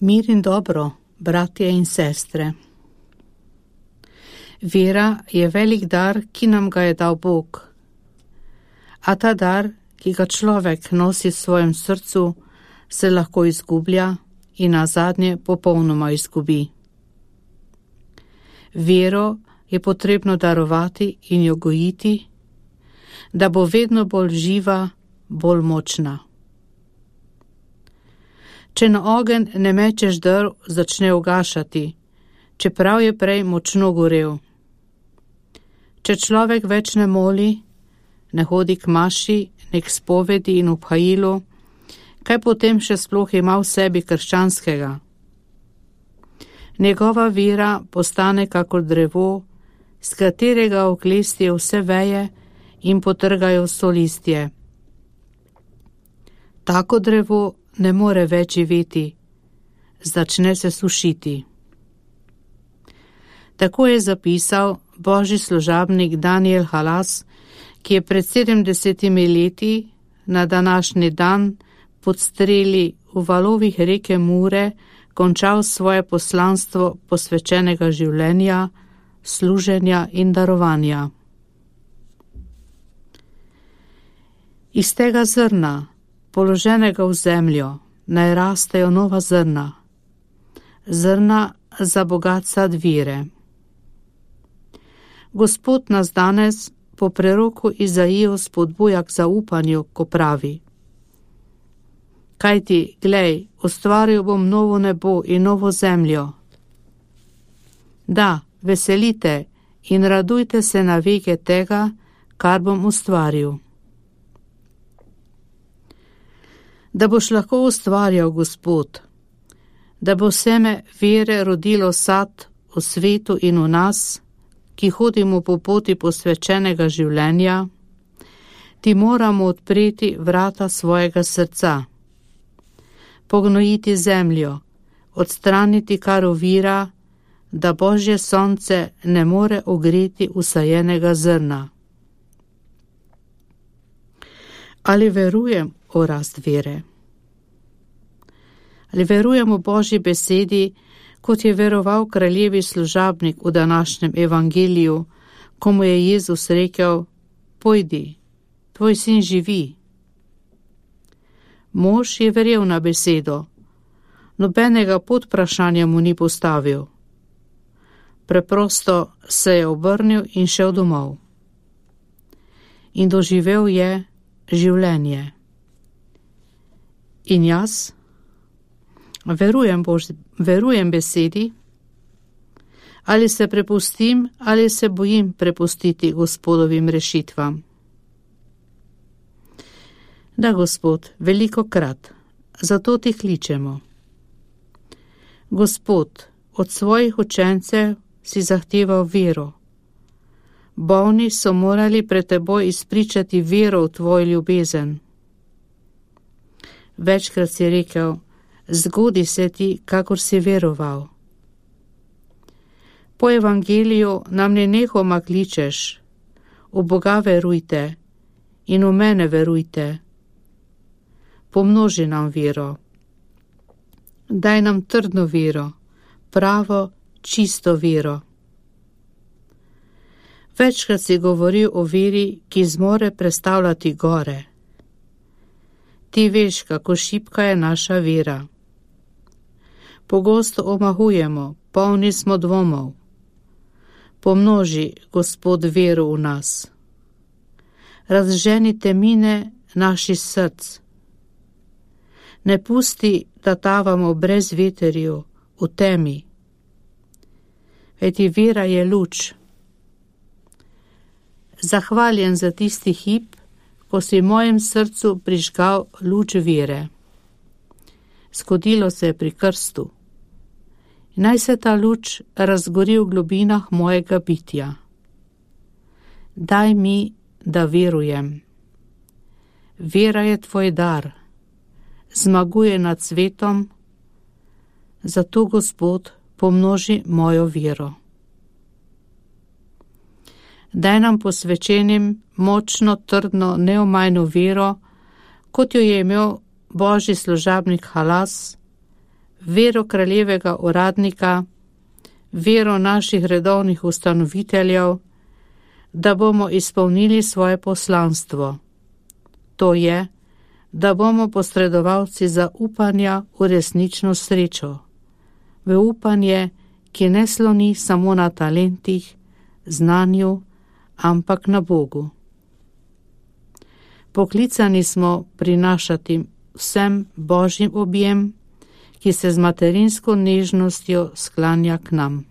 Mir in dobro, bratje in sestre. Vera je velik dar, ki nam ga je dal Bog. A ta dar, ki ga človek nosi v svojem srcu, se lahko izgublja in nazadnje popolnoma izgubi. Vero je potrebno darovati in jo gojiti, da bo vedno bolj živa, bolj močna. Če na ogenj ne mečeš drv, začne ugašati, čeprav je prej močno gorel. Če človek več ne moli, ne hodi k maši, ne k spovedi in obhajilu, kaj potem še sploh ima v sebi krščanskega? Njegova vera postane kakor drevo, z katerega oklestijo vse veje in potrgajo vso listje. Tako drevo ne more več živeti, začne se sušiti. Tako je zapisal božji služabnik Daniel Halas, ki je pred 70 leti na današnji dan pod streli v valovih reke Mure končal svoje poslanstvo posvečenega življenja, služenja in darovanja. Iz tega zrna, položenega v zemljo, naj rastejo nova zrna, zrna za bogat sad vire. Gospod nas danes po preroku Izaiju spodbuja k zaupanju, ko pravi: Kajti, glej, ustvaril bom novo nebo in novo zemljo. Da, veselite in radujte se na veke tega, kar bom ustvaril. Da boš lahko ustvarjal, Gospod, da bo seme vere rodilo sad v svetu in v nas, ki hodimo po poti posvečenega življenja, ti moramo odpreti vrata svojega srca, pognojiti zemljo, odstraniti kar ovira, da Božje sonce ne more ogreti usajenega zrna. Ali verujem v rast vere? Ali verujem v Božji besedi, kot je veroval kraljevi služabnik v današnjem evangeliju, ko mu je Jezus rekel: Pojdi, tvoj sin živi. Mož je verjel na besedo, nobenega podvprašanja mu ni postavil. Preprosto se je obrnil in šel domov. In doživel je življenje. In jaz? Verujem besedi, ali se prepustim, ali se bojim prepustiti Gospodovim rešitvam. Da, Gospod, velikokrat, zato ti kličemo. Gospod, od svojih učencev si zahteval vero. Bolni so morali pred teboj izpričati vero v tvoj ljubezen. Večkrat si rekel: Zgodi se ti, kakor si veroval. Po evangeliju nam nenehoma kličeš: v Boga verujte in v mene verujte. Pomnoži nam vero. Daj nam trdno vero, pravo, čisto vero. Večkrat si govoril o veri, ki zmore prestavljati gore. Ti veš, kako šibka je naša vera. Pogosto omahujemo, polni smo dvomov. Pomnoži, Gospod, vero v nas. Razženi temine naših src. Ne pusti, da tavamo brez veterju, v temi. Kajti vera je luč. Zahvaljen za tisti hip, ko si v mojem srcu prižgal luč vere. Zgodilo se je pri krstu. Naj se ta luč razgori v globinah mojega bitja. Daj mi, da verujem. Vera je tvoj dar, zmaguje nad svetom, zato, Gospod, pomnoži mojo vero. Daj nam posvečenim močno, trdno, neomajno vero, kot jo je imel božji služabnik Halas, vero kraljevega uradnika, vero naših redovnih ustanoviteljev, da bomo izpolnili svoje poslanstvo. To je, da bomo posredovalci zaupanja v resnično srečo, v upanje, ki ne sloni samo na talentih, znanju, ampak na Bogu. Poklicani smo prinašati vsem Božjim objem, ki se z materinsko nežnostjo sklanja k nam.